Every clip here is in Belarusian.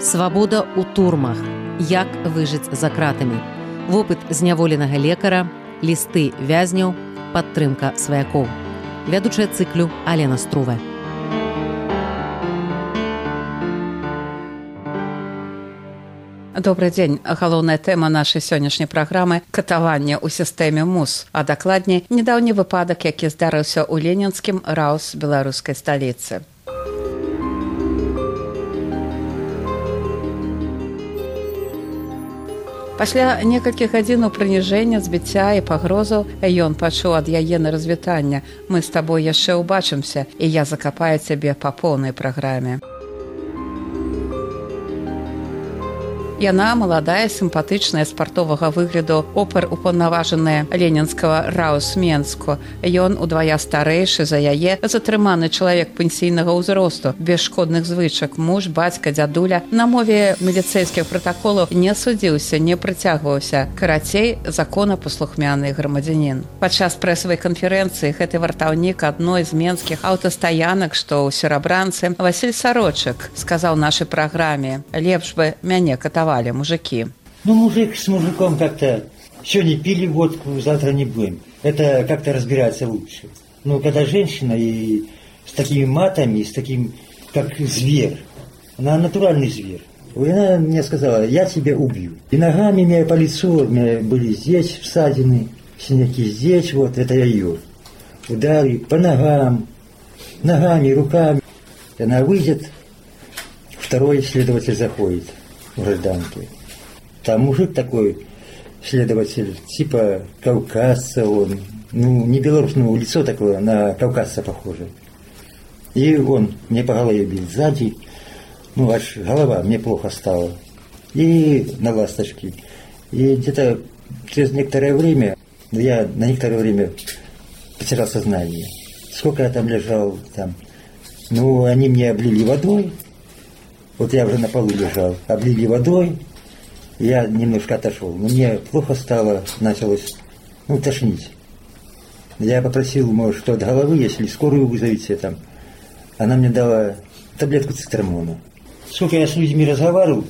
Свабода ў турмах. Як выжыць за кратамі. Вопыт зняволенага лекара, лісты вязняў, падтрымка сваякоў. Вядучая цыклю Алена Струве. Добрый дзень. Галоўная тэма нашай сённяшняй праграмы – катаванне ў сістэме МУС, а дакладней, нядаўні выпадак, які здарыўся ў ленінскім РАУС беларускай сталіцы. Пасля некалькіх гадзінаў прыніжэння, збіцця і пагрозаў ён пачуў ад яе на развітання: «Мы з табой яшчэ ўбачымся, і я закапаю цябе па поўнай праграме». Яна маладая, сімпатычная, спартовага выгляду, опер-упаўнаважаная ленінскага РАУС Менску. Ён удвая старэйшы за яе, затрыманы чалавек пенсійнага ўзросту, без шкодных звычак, муж, бацька, дзядуля. На мове міліцэйскіх пратаколаў не судзіўся, не прыцягваўся. Карацей, законапаслухмяны грамадзянін. Падчас прэсавай канферэнцыі гэты вартаўнік адной з менскіх аўтастаянак, што ў Серабранцы, Васіль Сарочак, сказаў нашай праграме: «Лепш бы мяне катавалі мужики». Ну, мужик с мужиком как-то сегодня пили водку, завтра не будем. Это как-то разбираться лучше. Но когда женщина и с такими матами, с таким, как зверь, она натуральный зверь. И она мне сказала: «Я тебя убью». И ногами меня по лицу, у меня были здесь всадины, синяки здесь, вот, это я ее. Удары по ногам, ногами, руками. И она выйдет, второй следователь заходит в гражданке. Там мужик такой, следователь, типа кавказца он, ну, не белорус, но лицо такое, на кавказца похоже. И он мне по голове бил сзади, ну, аж голова, мне плохо стало. И на ласточки. И где-то через некоторое время, я на некоторое время потерял сознание. Сколько я там лежал, там, ну, они мне облили водой. Вот я уже на полу лежал, облили водой, я немножко отошел. Но мне плохо стало, началось, ну, тошнить. Я попросил, может, что от головы, если скорую вызовите там. Она мне дала таблетку цитрамона. Сколько я с людьми разговаривал,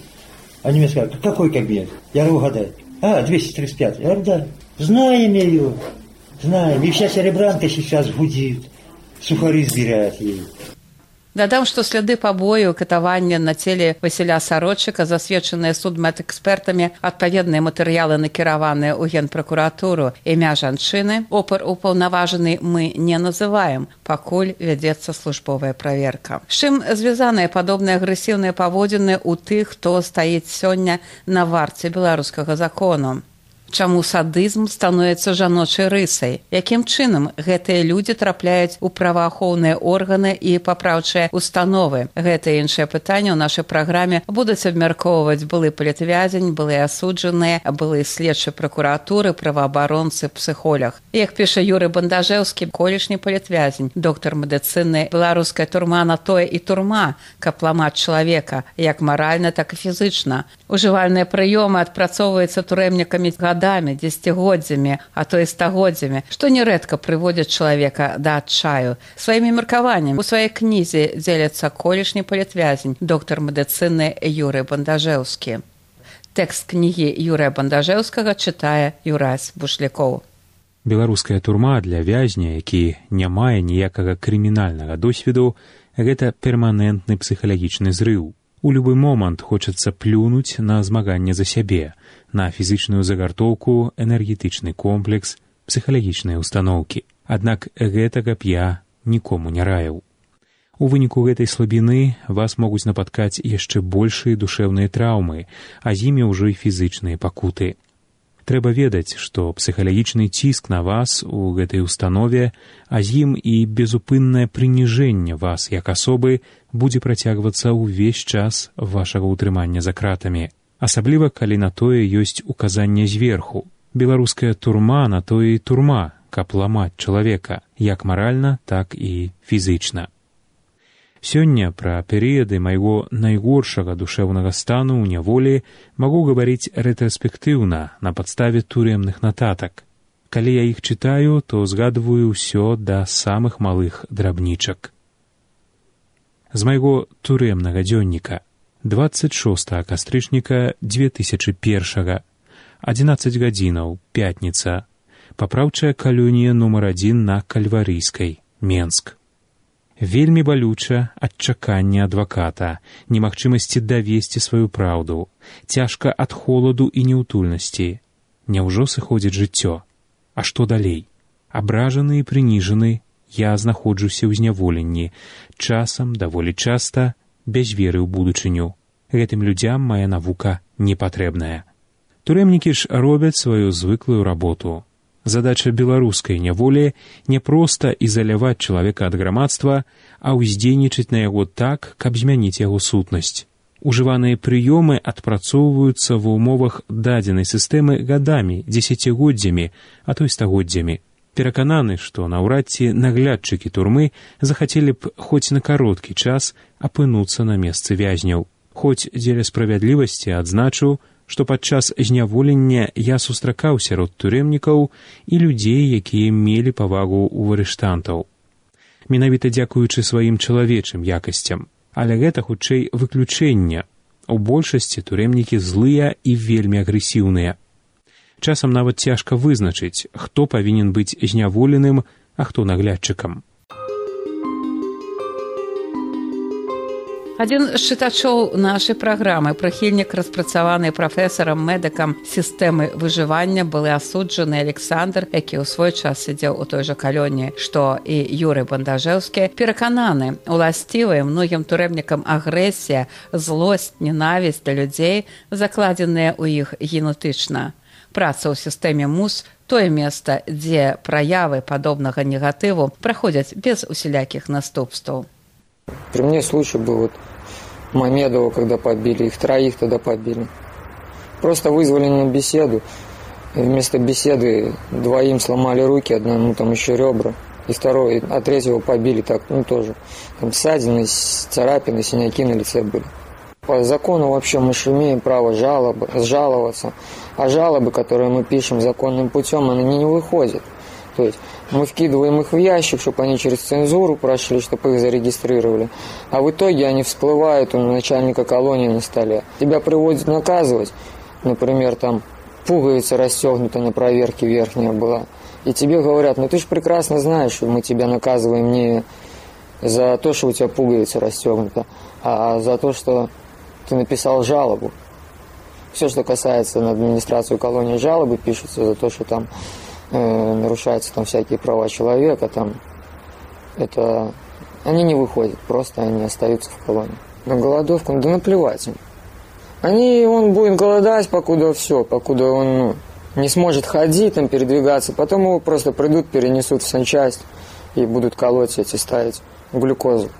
они мне сказали: «Какой кабинет?» Я говорю: «Угадай». 235. Я говорю: «Да». Знаем ее, знаем. И вся Серебранка сейчас гудит, сухари сбирает ей. Дадам, што сляды пабою, катавання на целе Васіля Сарочака засведчаныя судмедэкспертамі, адпаведныя матэрыялы накіраваныя ў Генпракуратуру. Імя жанчыны, опер-упаўнаважаны, мы не называем, пакуль вядзецца службовая праверка. З чым звязаныя падобныя агрэсіўныя паводзіны ў тых, хто стаіць сёння на варце беларускага закону? Чаму садызм становіцца жаночай рысай? Якім чынам гэтыя людзі трапляюць у праваахоўныя органы і папраўчыя установы? Гэта і іншыя пытанні ў нашай праграме будуць абмяркоўваць былы палітвязень, былыя асуджаныя, былы следчы пракуратуры, праваабаронцы, псіхолог. Як піша Юрый Бандажэўскі, колішні палітвязень, доктар медыцыны, беларуская турма на тое і турма, каб ламаць чалавека, як маральна, так і фізычна. Ужывальныя прыёмы адпрацоўваюцца турэмнікамі годамі, дзесяцігоддзямі, а то і стагоддзямі, што нярэдка прыводзяць чалавека да адчаю. Сваімі меркаваннямі у сваёй кнізе дзеляцца колішні палітвязень, доктар медыцыны Юрый Бандажэўскі. Тэкст кнігі Юрыя Бандажэўскага чытае Юрась Бушлякоў. Беларуская турма для вязня, які не мае ніякага крымінальнага досведу, гэта перманентны псіхалагічны зрыў. У любы момант хочацца плюнуць на змаганне за сябе, на фізычную загартоўку, энергетычны комплекс, псіхалагічныя ўстаноўкі. Аднак гэтага б я нікому не раіў. У выніку гэтай слабіны вас могуць напаткаць яшчэ большыя душэўныя траўмы, а з імі ўжо і фізычныя пакуты. Трэба ведаць, што псіхалагічны ціск на вас у гэтай установе, а з ім і безупыннае прыніжэнне вас як асобы будзе працягвацца ўвесь час вашага ўтрымання за кратамі. Асабліва, калі на тое ёсць указанне зверху. Беларуская турма на тое і турма, каб ламаць чалавека, як маральна, так і фізычна. Сёння пра перыяды майго найгоршага душэўнага стану ў няволі магу гаварыць рэтраспектыўна на падставе турэмных нататак. Калі я іх чытаю, то згадваю ўсё да самых малых драбнічак. З майго турэмнага дзённіка. 26 кастрычніка 2001, 11 гадзінаў, пятніца, папраўчая калонія нумар 1 на Кальварыйскай, Менск. Вельмі балюча адчаканне адваката, немагчымасці давесці сваю праўду, цяжка ад холаду і няўтульнасці. Няўжо сыходзіць жыццё? А што далей? Абражаны і прыніжаны, я знаходжуся ў зняволенні, часам, даволі часта, без веры ў будучыню. Гэтым людзям мая навука не патрэбная. Турэмнікі ж робяць сваю звыклую работу. Задача беларускай няволі не проста ізаляваць чалавека ад грамадства, а ўздзейнічаць на яго так, каб змяніць яго сутнасць. Ужываныя прыёмы адпрацоўваюцца ва ўмовах дадзенай сістэмы гадамі, дзесяцігоддзямі, а то і стагоддзямі. Перакананы, што наўрад ці наглядчыкі турмы захацелі б хоць на кароткі час апынуцца на месцы вязняў. Хоць дзеля справядлівасці адзначу, што падчас зняволення я сустракаў сярод турэмнікаў і людзей, якія мелі павагу ў арыштантаў. Менавіта дзякуючы сваім чалавечым якасцям. Але гэта, хутчэй, выключэнне. У большасці турэмнікі злыя і вельмі агрэсіўныя. Часам нават цяжка вызначыць, хто павінен быць зняволеным, а хто наглядчыкам. Адзін з чытачоў нашай праграмы, прыхільнік распрацаванай прафесарам-медыкам сістэмы выжывання, былы асуджаны Александр, які ў свой час сидзеў у той жа калоніі, што і Юрый Бандажэўскі, перакананы, уласцівая многім турэмнікам агрэсія, злосць, ненавісць да людзей, закладзеныя ў іх генетычна. Праца ў сістэме МУС – тое месца, дзе праявы падобнага негатыву праходзяць без усялякіх наступстваў. При мне случай был Мамедова, когда побили, их троих тогда побили. Просто вызвали на беседу. И вместо беседы двоим сломали руки, одному там еще ребра. И второй, а третьего побили так, тоже. Там ссадины, царапины, синяки на лице были. По закону вообще мы же имеем право жаловаться. А жалобы, которые мы пишем законным путем, они не выходят. То есть мы вкидываем их в ящик, чтобы они через цензуру прошли, чтобы их зарегистрировали. А в итоге они всплывают у начальника колонии на столе. Тебя приводят наказывать. Например, там пуговица расстегнута на проверке верхняя была. И тебе говорят, ты же прекрасно знаешь, что мы тебя наказываем не за то, что у тебя пуговица расстегнута, а за то, что ты написал жалобу. Все, что касается на администрацию колонии, жалобы пишутся за то, что там нарушаются там всякие права человека, там это они не выходят, просто они остаются в колонии. На голодовку, да наплевать им. Он будет голодать, покуда он не сможет ходить, там, передвигаться, потом его просто придут, перенесут в санчасть и будут колоть ставить глюкозу.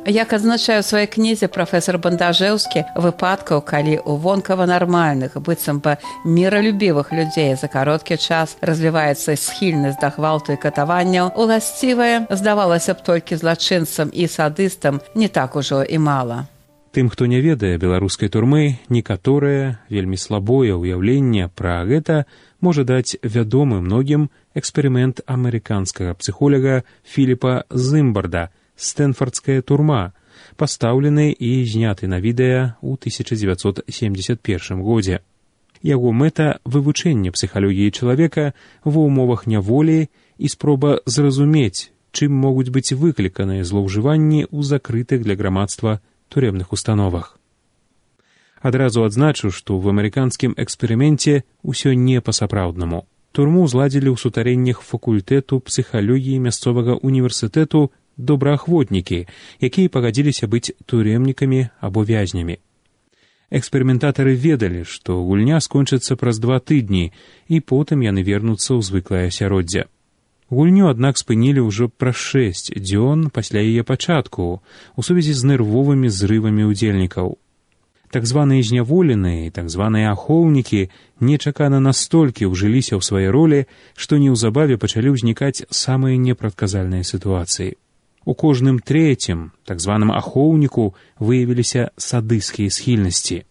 Як адзначае ў сваёй кнізе прафесар Бандажэўскі, выпадкаў, калі ў вонкава нармальных, быццам бы міралюбівых людзей за кароткі час развіваецца схільнасць да гвалту і катаванняў, уласцівае, здавалася б, толькі злачынцам і садыстам не так ужо і мала. Тым, хто не ведае беларускай турмы, некаторае, вельмі слабое ўяўленне пра гэта можа даць вядомы многім эксперымент амерыканскага псіхолага Філіпа Зымбарда «Стэнфардская турма», пастаўлены і зняты на відэа ў 1971 годзе. Яго мэта – вывучэнне псіхалогіі чалавека ва ўмовах няволі і спроба зразумець, чым могуць быць выкліканыя злоўжыванні ў закрытых для грамадства турэмных установах. Адразу адзначу, што ў амерыканскім эксперыменце ўсё не па-сапраўднаму. Турму зладзілі ў сутарэннях факультэту псіхалогіі мясцовага універсітэту добраахвотнікі, якія пагадзіліся быць турэмнікамі або вязнямі. Эксперыментатары ведалі, што гульня скончыцца праз 2 тыдні, і потым яны вернуцца ў звыклае асяроддзе. Гульню, аднак, спынілі ўжо праз 6 дзён пасля яе пачатку у сувязі з нервовымі зрывамі ўдзельнікаў. Так званыя зняволеныя і так званыя ахоўнікі нечакана настолькі ўжыліся ў свае ролі, што неўзабаве пачалі ўзнікаць самыя непрадказальныя сітуацыі. У кожным трэцім, так званым ахоўніку, выявіліся садысцкія схільнасці.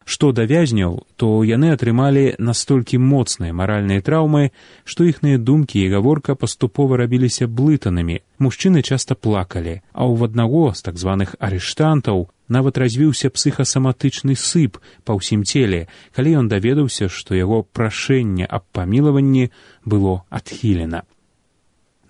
Што да вязняў, то яны атрымалі настолькі моцныя маральныя траўмы, што іхныя думкі і гаворка паступова рабіліся блытанымі. Мужчыны часта плакалі, а ў аднаго з так званых арыштантаў нават развіўся псіхасаматычны сып па ўсім целе, калі ён даведаўся, што яго прашэнне аб памілаванні было адхілена.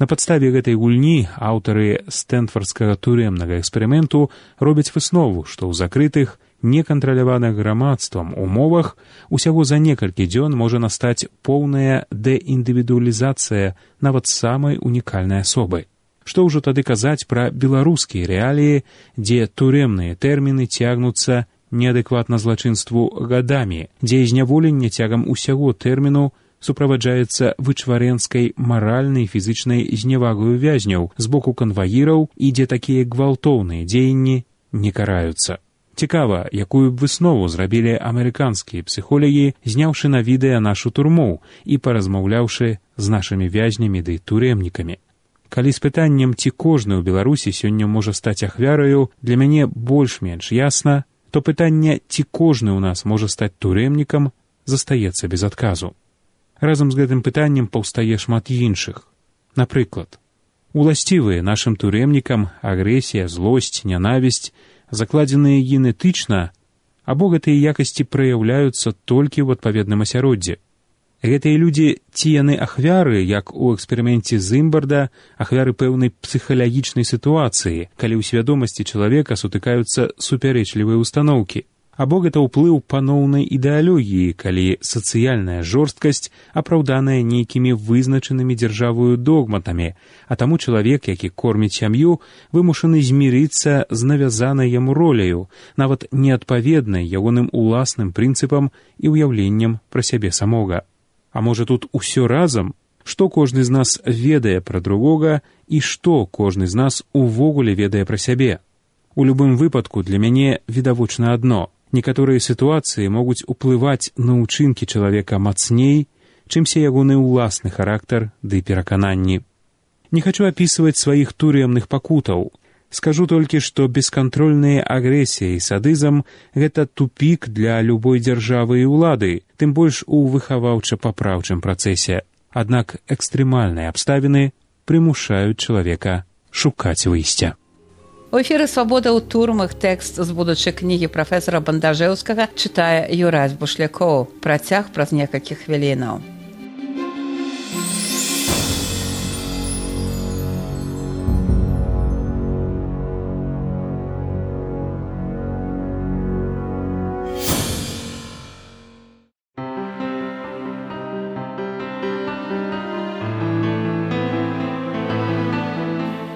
На падставе гэтай гульні аўтары стэнфардскага турэмнага эксперыменту робяць выснову, што ў закрытых, некантраляваных грамадствам умовах усяго за некалькі дзён можа настаць поўная дэіндывідуалізацыя нават самай унікальнай асобы. Што ўжо тады казаць пра беларускія рэаліі, дзе турэмныя тэрміны цягнуцца неадэкватна злачынству гадамі, дзе зняволенне цягам усяго тэрміну суправаджаецца вычварэнскай маральнай і фізычнай зневагаю вязняў з боку канваіраў і дзе такія гвалтоўныя дзеянні не караюцца. Цікава, якую б выснову зрабілі амерыканскія псіхолагі, зняўшы на відэа нашу турму і паразмаўляўшы з нашымі вязнямі ды турэмнікамі. Калі з пытаннем, ці кожны ў Беларусі сёння можа стаць ахвяраю, для мяне больш-менш ясна, то пытанне, ці кожны ў нас можа стаць турэмнікам, застаецца без адказу. Разам з гэтым пытаннем паўстае шмат іншых. Напрыклад, уласцівыя нашым турэмнікам агрэсія, злосць, нянавісць, закладзеныя генетычна, або гэтыя якасці праяўляюцца толькі ў адпаведным асяроддзі. Гэтыя людзі, ці яны ахвяры, як у эксперыменце Зымбарда, ахвяры пэўнай псіхалагічнай сітуацыі, калі ў свядомасці чалавека сутыкаюцца супярэчлівыя ўстаноўкі. Або гэта ўплыў паноўнай ідэалогіі, калі сацыяльная жорсткасць апраўданая нейкімі вызначанымі дзяржавою догматамі, а таму чалавек, які корміць сям'ю, вымушаны змірыцца з навязанай яму роляю, нават неадпаведнай ягоным уласным прынцыпам і ўяўленнем пра сябе самога. А можа тут усё разам? Што кожны з нас ведае пра другога і што кожны з нас увогуле ведае пра сябе? У любым выпадку для мяне відавочна адно. Некаторыя сітуацыі могуць уплываць на ўчынкі чалавека мацней, чымся ягоны ўласны характар ды перакананні. Не хачу апісваць сваіх турэмных пакутаў. Скажу толькі, што бескантрольная агрэсія і садызм – гэта тупік для любой дзяржавы і ўлады, тым больш у выхаваўча-папраўчым працэсе. Аднак экстрэмальныя абставіны прымушаюць чалавека шукаць выйсця. У эфіры «Свабода ў турмах» тэкст з будучай кнігі прафесара Бандажэўскага чытае Юрась Бушлякоў. Працяг праз некалькі хвілінаў.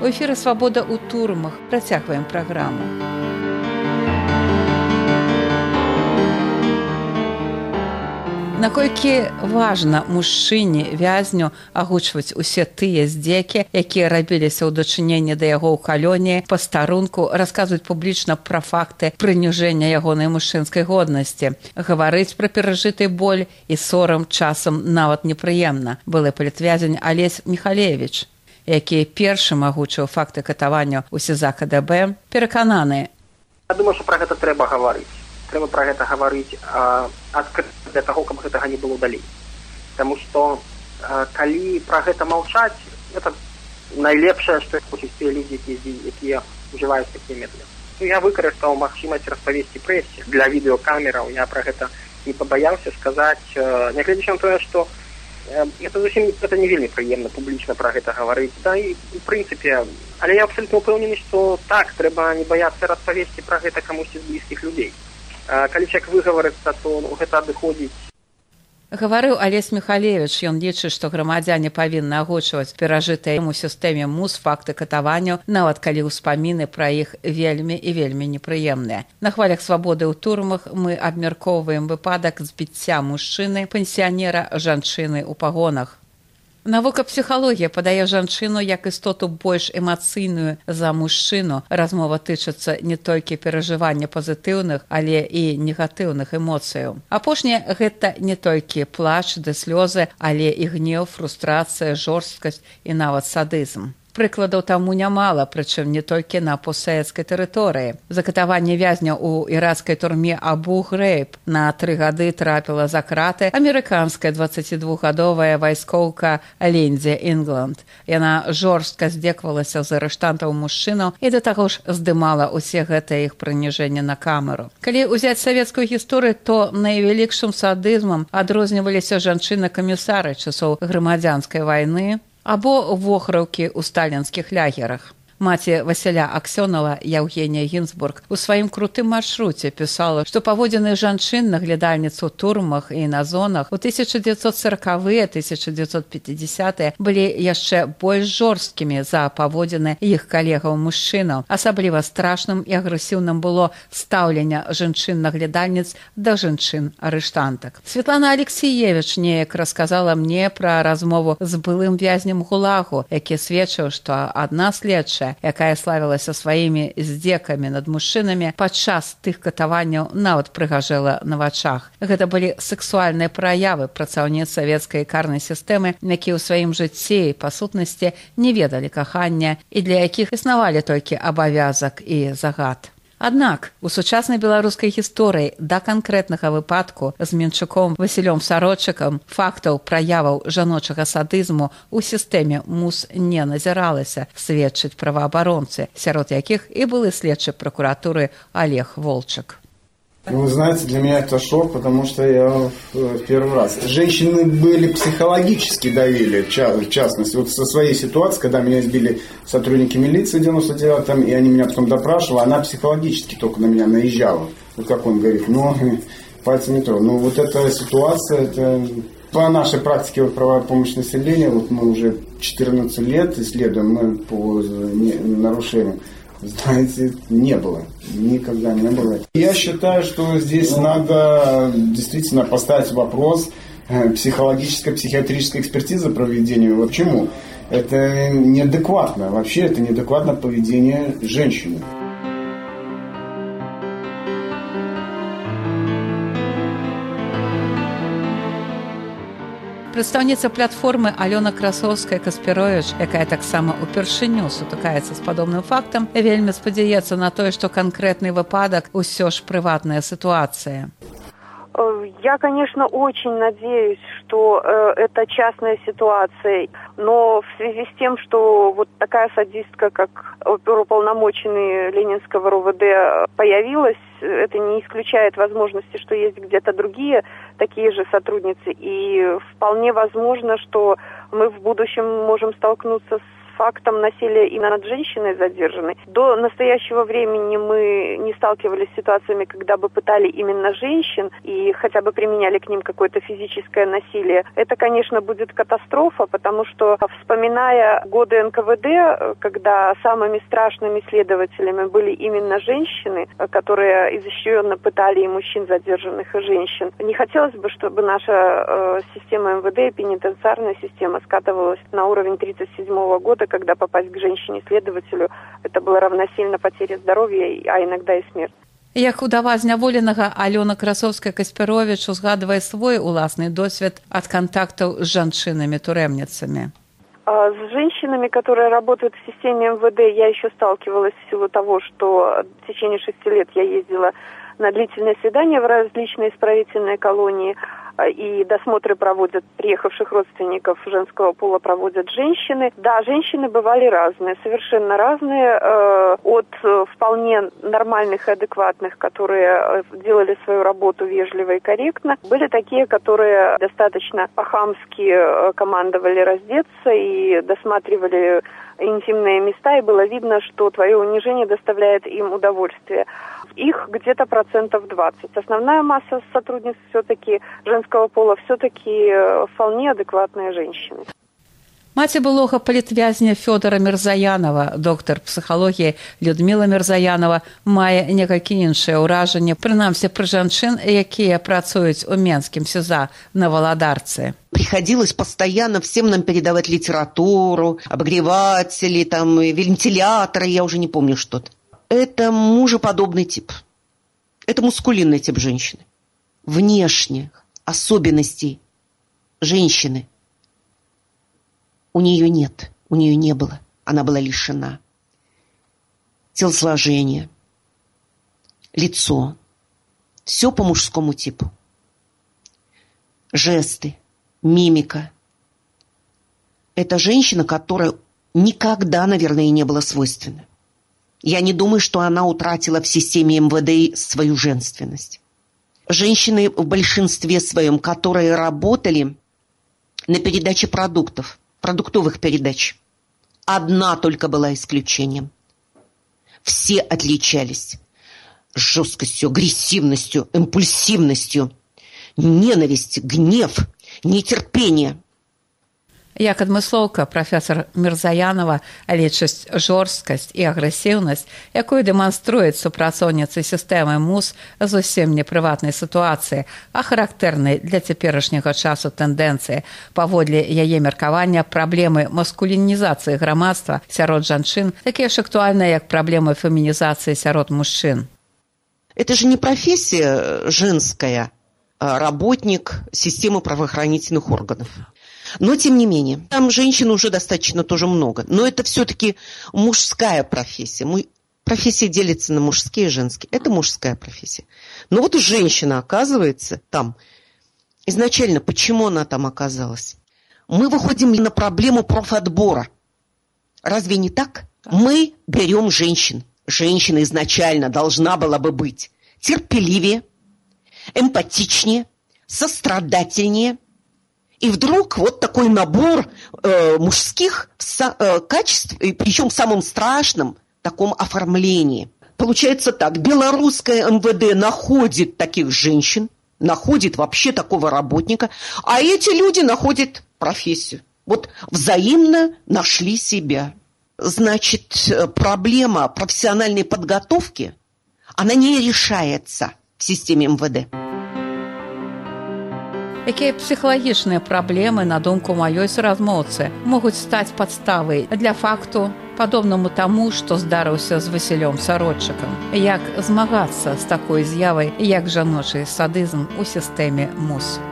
У эфіры «Свабода ў турмах» працягваем праграму. Наколькі важна мужчыне, вязню агучваць усе тыя здзекі, якія рабіліся ў дачыненні да яго ў калоніі, пастарунку, расказваць публічна пра факты прыніжэння ягонай мужчынскай годнасці, гаварыць пра перажыты боль і сорам часам нават непрыемна. Былы палітвязень Алесь Міхалевіч, які першым агучыў факты катавання ў СІЗА КДБ, перакананы. Я думаю, што пра гэта трэба гаварыць. Трэба пра гэта гаварыць адкрыта для таго, каб гэтага не было далей. Таму што калі пра гэта маўчаць, гэта найлепшае, што хочуць тыя людзі, якія ўжываюць такія метады. Я выкарыстаў магчымасць распавесці прэсе для відэокамераў. Я пра гэта не пабаяўся сказаць, нягледзячы на тое, што это не вельмі прыемна публічна пра гэта гаварыць. Да і у прынцыпе, але я абсалютна ўпэўнены, што так, трэба не баяцца распавесці пра гэта камусьці з блізкіх людзей. Калі чалавек выгаварыцца, то гэта адыходзіць. Гаварыў Алесь Міхалевіч, ён лічыць, што грамадзяне павінны агучваць перажытыя ў сістэме МУС факты катаванняў, нават калі ўспаміны пра іх вельмі і вельмі непрыемныя. На хвалях «Свабоды ў турмах» мы абмяркоўваем выпадак збіцця мужчыны, пенсіянера, жанчыны ў пагонах. Навука псіхалогія падае жанчыну як істоту больш эмацыйную за мужчыну. Размова тычыцца не толькі перажывання пазітыўных, але і негатыўных эмоцыяў. Апошняе – гэта не толькі плач ды слёзы, але і гнеў, фрустрацыя, жорсткасць і нават садызм. Прыкладаў таму нямала, прычым не толькі на постсавецкай тэрыторыі. За катаванне вязняў у іракскай турме Абу-Грейб на 3 гады трапіла за краты амерыканская 22-гадовая вайскоўка Линдзи Інгланд. Яна жорстка здзекавалася з арыштантаў мужчынаў і да таго ж здымала ўсе гэтыя іх прыніжэнні на камеру. Калі ўзяць савецкую гісторыю, то найвялікшым садызмам адрозніваліся жанчыны-камісары часоў грамадзянскай вайны або вохраўкі ў сталінскіх лягерах. Маці Васіля Аксёнова, Яўгенія Гінзбург, у сваім крутым маршруце пісала, што паводзіны жанчын наглядальніц у турмах і на зонах у 1940-е, 1950-е былі яшчэ больш жорсткімі за паводзіны іх калегаў-мужчынаў. Асабліва страшным і агрэсіўным было стаўленне жанчын-наглядальніц да жанчын-арыштантак. Светлана Алексіевіч неяк расказала мне пра размову з былым вязнем ГУЛАГу, які сведчыў, што адна следчая, якая славілася сваімі здзекамі над мужчынамі, падчас тых катаванняў нават прыгажэла на вачах. Гэта былі сексуальныя праявы працаўніц савецкай карнай сістэмы, якія ў сваім жыцці, па сутнасці, не ведалі кахання і для якіх існавалі толькі абавязак і загад. Аднак у сучаснай беларускай гісторыі да канкрэтнага выпадку з Менчуком Васілём Сарочыкам фактаў праяваў жаночага садызму ў сістэме МУС не назіралася, сведчаць праваабаронцы, сярод якіх і былы следчы пракуратуры Олег Волчак. Вы знаете, для меня это шок, потому что я в первый раз. Женщины были психологически давили, в частности. Вот со своей ситуацией, когда меня избили сотрудники милиции в 99-м, и они меня потом допрашивали, она психологически только на меня наезжала. Вот как он говорит, пальцем не трогай. Ну, вот эта ситуация, это по нашей практике правовой помощи населению, вот мы уже 14 лет исследуем, мы по нарушениям. Знаете, не было. Никогда не было. Я считаю, что здесь надо действительно поставить вопрос психологической, психиатрической экспертизы проведения. Вот почему? Это неадекватно. Вообще это неадекватно поведение женщины. Прадстаўніца платформы Алёна Красоўская-Каспіровіч, якая таксама ўпершыню сутыкаецца з падобным фактам, вельмі спадзяецца на тое, што канкрэтны выпадак усё ж прыватная ситуация. Я, конечно, очень надеюсь, что это частная ситуация, но в связи с тем, что вот такая садистка, как оперуполномоченный Ленинского РУВД появилась, это не исключает возможности, что есть где-то другие такие же сотрудницы, и вполне возможно, что мы в будущем можем столкнуться с фактом насилия и над женщиной задержанной. До настоящего времени мы не сталкивались с ситуациями, когда бы пытали именно женщин и хотя бы применяли к ним какое-то физическое насилие. Это, конечно, будет катастрофа, потому что, вспоминая годы НКВД, когда самыми страшными следователями были именно женщины, которые изощренно пытали и мужчин задержанных, и женщин, не хотелось бы, чтобы наша система МВД и пенитенциарная система скатывалась на уровень 1937 года, когда попасть к женщине-следователю, это было равносильно потере здоровья, а иногда и смерть. Як удава зняволенага Алёна Красоўская-Каспіровіч узгадвае свой уласны досвед ад контактаў з жанчынамі-турэмніцамі. С женщинами, которые работают в системе МВД, я еще сталкивалась в силу того, что в течение 6 лет я ездила на длительные свидания в различные исправительные колонии, и досмотры проводят приехавших родственников женского пола, проводят женщины. Да, женщины бывали разные, совершенно разные, от вполне нормальных и адекватных, которые делали свою работу вежливо и корректно. Были такие, которые достаточно по-хамски командовали раздеться и досматривали интимные места, и было видно, что твое унижение доставляет им удовольствие. Их где-то 20%. Основная масса сотрудниц все-таки женского пола все-таки вполне адекватные женщины. Маці былога палітвязня Фёдора Мірзаянова, доктар псіхалогіі Людміла Мірзаянова, мае некалькі іншае ўражанне, прынамсі пры жанчын, якія працуюць у Менскім СИЗО на Володарцы. Приходилось постоянно всем нам передавать литературу, обогреватели, там, вентиляторы, я уже не помню что-то. Это мужеподобный тип. Это мускулинный тип женщины. Внешних особенностей женщины у нее нет, у нее не было. она была лишена. Телосложение, лицо. Все по мужскому типу. Жесты, мимика. Это женщина, которая никогда, наверное, не была свойственна. Я не думаю, что она утратила в системе МВД свою женственность. Женщины в большинстве своем, которые работали на передаче продуктов, продуктовых передач, одна только была исключением. Все отличались жесткостью, агрессивностью, импульсивностью, ненависть, гнев, нетерпение. Як адмыслоўка прафесор Мірзаянова лічыць жорсткасць і агрэсіўнасць, якую дэманструюць супрацоўніцы сістэмы МУС зусім не прыватнай сітуацыі, а характэрнай для цяперашняга часу тэндэнцыі. Паводле яе меркавання праблемы маскулінізацыі грамадства сярод жанчын такія ж актуальныя, як праблемы фемінізацыі сярод мужчын. Это же не профессия женская, а работник системы правоохранительных органов. Но, тем не менее, там женщин уже достаточно тоже много. Но это все-таки мужская профессия. Профессия делится на мужские и женские. Это мужская профессия. Но вот женщина оказывается там. Изначально, почему она там оказалась? Мы выходим на проблему профотбора. Разве не так? Мы берем женщин. Женщина изначально должна была бы быть терпеливее, эмпатичнее, сострадательнее. И вдруг вот такой набор мужских качеств, и причем в самом страшном таком оформлении. Получается так, белорусское МВД находит таких женщин, находит вообще такого работника, а эти люди находят профессию. Вот взаимно нашли себя. Значит, проблема профессиональной подготовки, она не решается в системе МВД. Якія псіхалагічныя праблемы, на думку маёй суразмоўцы, могуць стаць падставай для факту, падобнаму таму, што здарыўся з Васілём Сародчыкам? Як змагацца з такой з'явай, як жаночы садызм у сістэме МУС?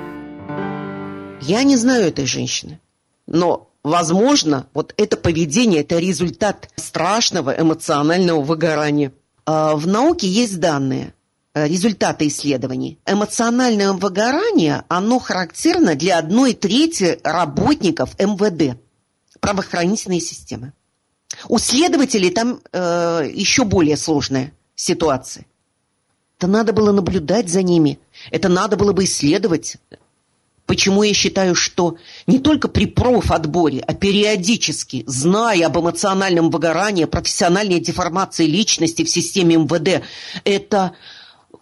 Я не знаю этой женщины, но, возможно, вот это поведение, это результат страшного эмоционального выгорания. В науке есть данные, результаты исследований. Эмоциональное выгорание, оно характерно для 1/3 работников МВД, правоохранительной системы. У следователей там еще более сложная ситуация. Это надо было наблюдать за ними, это надо было бы исследовать. Почему я считаю, что не только при профотборе, а периодически, зная об эмоциональном выгорании, профессиональной деформации личности в системе МВД, это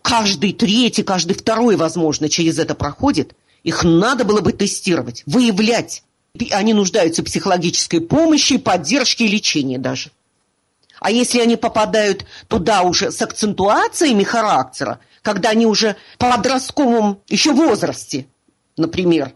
каждый 3-й, каждый 2-й, возможно, через это проходит, их надо было бы тестировать, выявлять. Они нуждаются в психологической помощи, поддержке и лечении даже. А если они попадают туда уже с акцентуациями характера, когда они уже в подростковом еще возрасте, например,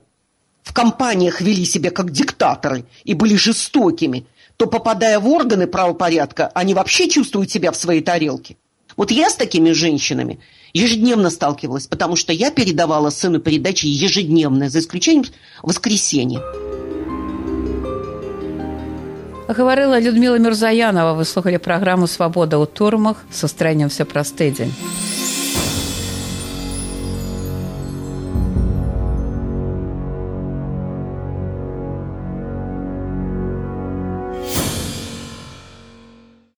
в компаниях вели себя как диктаторы и были жестокими, то, попадая в органы правопорядка, они вообще чувствуют себя в своей тарелке. Вот я с такими женщинами ежедневно сталкивалась, потому что я передавала сыну передачи ежедневно, за исключением воскресенья. Гаварыла Людмила Мірзаянова. Вы слухали праграму «Свабода ў турмах». Сустрэнемся праз тыдзень.